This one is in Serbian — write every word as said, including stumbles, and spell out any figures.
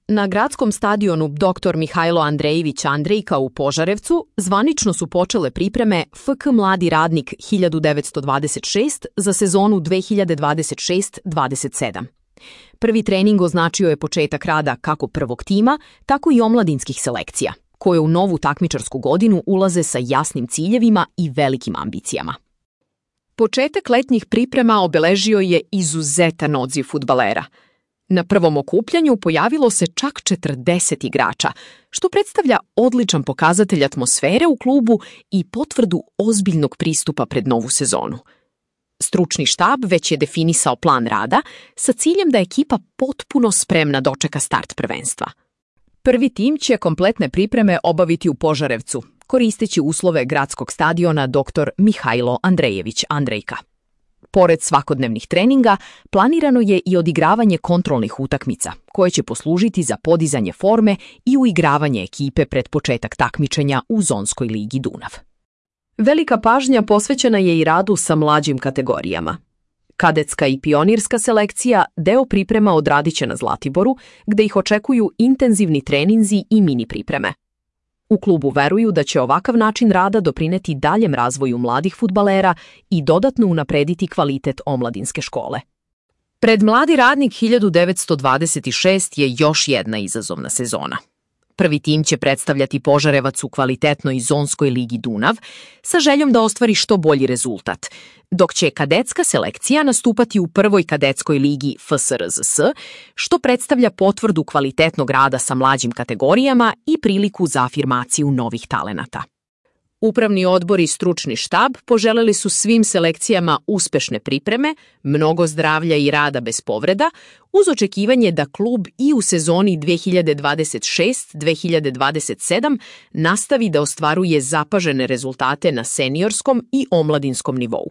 Na gradskom stadionu doktor Mihajlo Andrejević Andrejka u Požarevcu zvanično su počele pripreme F K Mladi radnik hiljadu devetsto dvadeset šest za sezonu dve hiljade dvadeset šest dvadeset sedam. Prvi trening označio je početak rada kako prvog tima, tako i omladinskih selekcija, koje u novu takmičarsku godinu ulaze sa jasnim ciljevima i velikim ambicijama. Početak letnjih priprema obeležio je izuzetan odziv fudbalera. Na prvom okupljanju pojavilo se čak četrdeset igrača, što predstavlja odličan pokazatelj atmosfere u klubu i potvrdu ozbiljnog pristupa pred novu sezonu. Stručni štab već je definisao plan rada sa ciljem da ekipa potpuno spremna dočeka start prvenstva. Prvi tim će kompletne pripreme obaviti u Požarevcu, koristeći uslove gradskog stadiona doktor Mihajlo Andrejević Andrejka. Pored svakodnevnih treninga, planirano je i odigravanje kontrolnih utakmica, koje će poslužiti za podizanje forme i uigravanje ekipe pred početak takmičenja u Zonskoj ligi Dunav. Velika pažnja posvećena je i radu sa mlađim kategorijama. Kadetska i pionirska selekcija deo priprema odradit će na Zlatiboru, gde ih očekuju intenzivni treninzi i mini pripreme. U klubu veruju da će ovakav način rada doprineti daljem razvoju mladih fudbalera i dodatno unaprediti kvalitet omladinske škole. Pred Mladi radnik hiljadu devetsto dvadeset šest je još jedna izazovna sezona. Prvi tim će predstavljati Požarevac u kvalitetnoj Zonskoj ligi Dunav sa željom da ostvari što bolji rezultat, dok će kadetska selekcija nastupati u prvoj kadetskoj ligi F S R Z S, što predstavlja potvrdu kvalitetnog rada sa mlađim kategorijama i priliku za afirmaciju novih talenata. Upravni odbor i stručni štab poželeli su svim selekcijama uspešne pripreme, mnogo zdravlja i rada bez povreda, uz očekivanje da klub i u sezoni dve hiljade dvadeset šest dve hiljade dvadeset sedam nastavi da ostvaruje zapažene rezultate na seniorskom i omladinskom nivou.